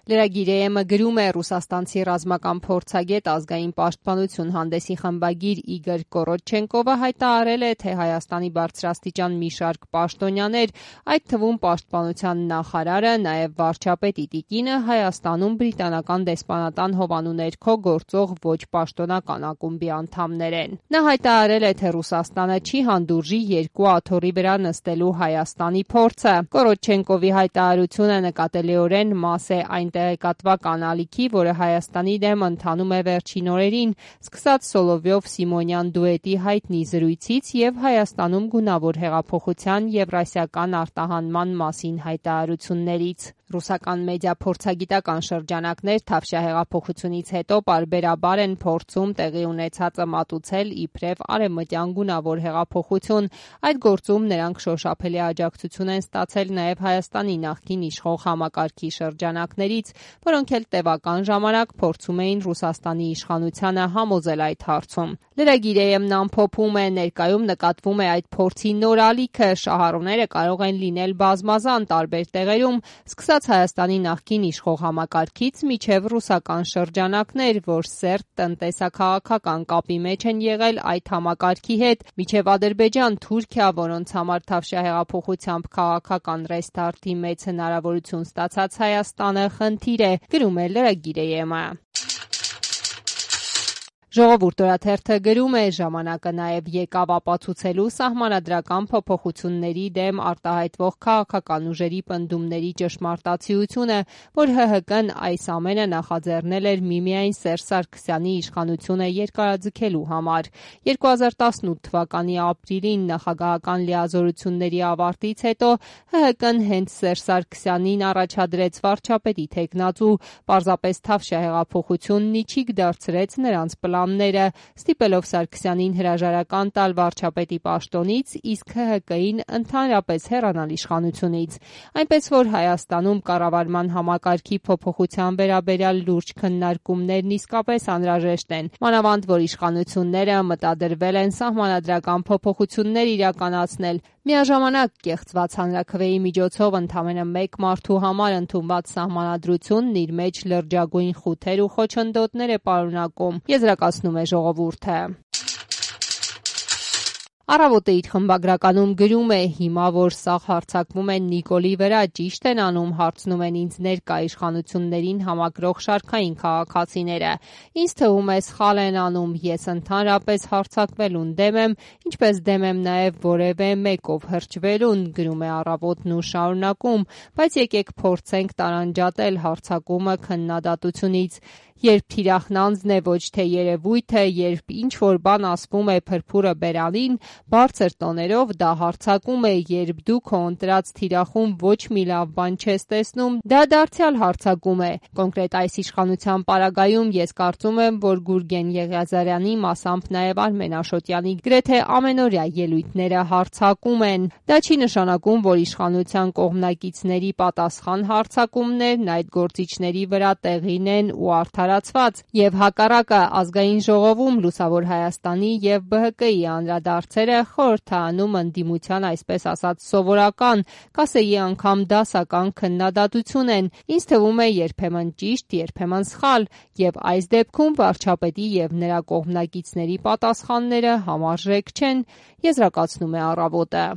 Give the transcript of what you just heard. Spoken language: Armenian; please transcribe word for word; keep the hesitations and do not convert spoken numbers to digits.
Լրագիր գրում է ռուսաստանցի ռազմական փորձագետ ազգային պաշտպանություն հանդեսի խմբագիր Իգոր Կորոչենկովը հայտարարել է, թե Հայաստանի բարձրաստիճան մի շարք պաշտոնյաներ, այդ թվում պաշտպանության նախարարը, նաև վարչապետի տիկինը Հայաստանում բրիտանական դեսպանատան հովանու ներքո գործող ոչ պաշտոնական ակումբի անդամներ են։ Նա հայտարարել է, թե Ռուսաստանը չի հանդուրժի երկու աթոռի վրա նստելու Հայաստանի փորձը։ Կորոչենկովի հայտարարությունը նկատելիորեն մաս է այն տեղեկատվական անալիքի, որը Հայաստանի դեմ ընթանում է վերջին օրերին, սկսած Սոլովյով-Սիմոնյան դուետի հայտնի զրույցից եւ Հայաստանում գունավոր հեղափոխության եվրասիական արտահանման մասին հայտարարություններից։ Ռուսական մեդիա փորձագիտական շրջանակներ Թավշյա հեղափոխությունից հետո պարբերաբար են փորձում տեղի ունեցածը մատուցել իբրև արևմտյան գունավոր հեղափոխություն։ Այդ գործում նրանք շոշափելի աջակցություն են ստացել նաև Հայաստանի նախկին իշխող համակարգի շրջանակներից, որոնք էլ տևական ժամանակ փորձում էին Ռուսաստանի իշխանությանը համոզել այդ հարցում։ Լրագիր-ը ամփոփում է, ներկայում նկատվում է այդ փորձի նոր ալիքը, շահառուները կարող են լինել բազմազան տարբեր տեղերում, սկսած Հայաստանի նախկին իշխող համակարգից մինչև ռուսական շրջանակներ, որ սերտ տնտեսա-քաղաքական կապի մեջ են եղել այդ համակարգի հետ, մինչև Ադրբեջան, Թուրքիա, որոնց համար Թավշյա հեղափոխությամբ քաղաքական ռեստարտի մեծ հնարավորություն ստացած Հայաստանը խնդիր է, գրում է լրագիր-ը։ Ժողովուրդ օրաթերթը գրում է, ժամանակը նաև եկավ ապացուցելու սահմանադրական փոփոխությունների դեմ արտահայտվող քաղաքական ուժերի պնդումների ճշմարտացիությունը, որ ՀՀԿ-ն այս ամենը նախաձեռնել էր միմիայն Սերժ Սարգսյանի իշխանությունը երկարաձգելու համար։ երկու հազար տասնութ թվականի ապրիլին նախագահական լիազորությունների ավարտից հետո ՀՀԿ-ն հենց Սերժ Սարգսյանին առաջադրեց վարչապետի թեկնածու, պարզապես Թավշյա հեղափոխությունն իջիկ դարձրեց նրանց պլան ստիպելով Սարգսյանին հրաժարական տալ վարչապետի պաշտոնից, իսկ ՀՀԿ-ին ընդհանրապես հեռանալ իշխանությունից։ Այնպես որ Հայաստանում կառավարման համակարգի փոփոխության վերաբերյալ լուրջ քննարկումներն իսկապես անհրաժեշտ են, մանավանդ որ իշխանությունները մտադրվել են սահմանադրական փոփոխություններ իրականացնել։ Միաժամանակ կեղծված հանրաքվեի միջոցով ընդամենը մեկ մարդու համար ընդունված սահմանադրությունն իր մեջ լրջագույն խութեր ու խոչընդոտներ է պարունակում, եզրակացնում է ժողովուրդը։ Առավոտը իր խմբագրականում գրում է. հիմա որ սաղ հարձակվում են Նիկոլի վրա, ճիշտ են անում, հարցնում են ինձ ներկա իշխանություններին համակրող շարքային քաղաքացիները։ Ինձ թվում է սխալ են անում, ես ընդհանրապես հարձակվելուն դեմ եմ, ինչպես դեմ եմ նաև որևէ մեկով հրճվելուն, գրում է Առավոտն ու շարունակում, բայց եկեք փորձենք տարանջատել հարձակումը քննադատությունից։ Երբ թիրախն անձն է, ոչ թե երևույթը, երբ ինչ-որ բան ասվում է փրփուրը բերանին, բարձր տոներով դա հարձակում է, երբ դու քո ընտրած թիրախում ոչ մի լավ բան չես տեսնում, դա դարձյալ հարձակում է։ Կոնկրետ այս իշխանության պարագայում ես կարծում եմ, որ Գուրգեն Եղիազարյանի, մասամբ նաև Արմեն Աշոտյանի գրեթե ամենօրյա ելույթները հարձակում են։ Դա չի նշանակում, որ իշխանության կողմնակիցների պատասխան հարձակումներն այդ գործիչների վրա տեղին են ու արդարացված, եւ հակառակը ազգային ժողովում Լուսավոր Հայաստանի եւ ԲՀԿ-ի անդրադարձերը խորհրդանում ընդդիմության այսպես ասած սովորական, կասեի անգամ դասական քննադատություն են, ինձ թվում է երբեմն ճիշտ, երբեմն սխալ, եւ այս դեպքում վարչապետի եւ նրա կողմնակիցների պատասխանները համարժեք չեն, եզրակացնում է Առավոտը։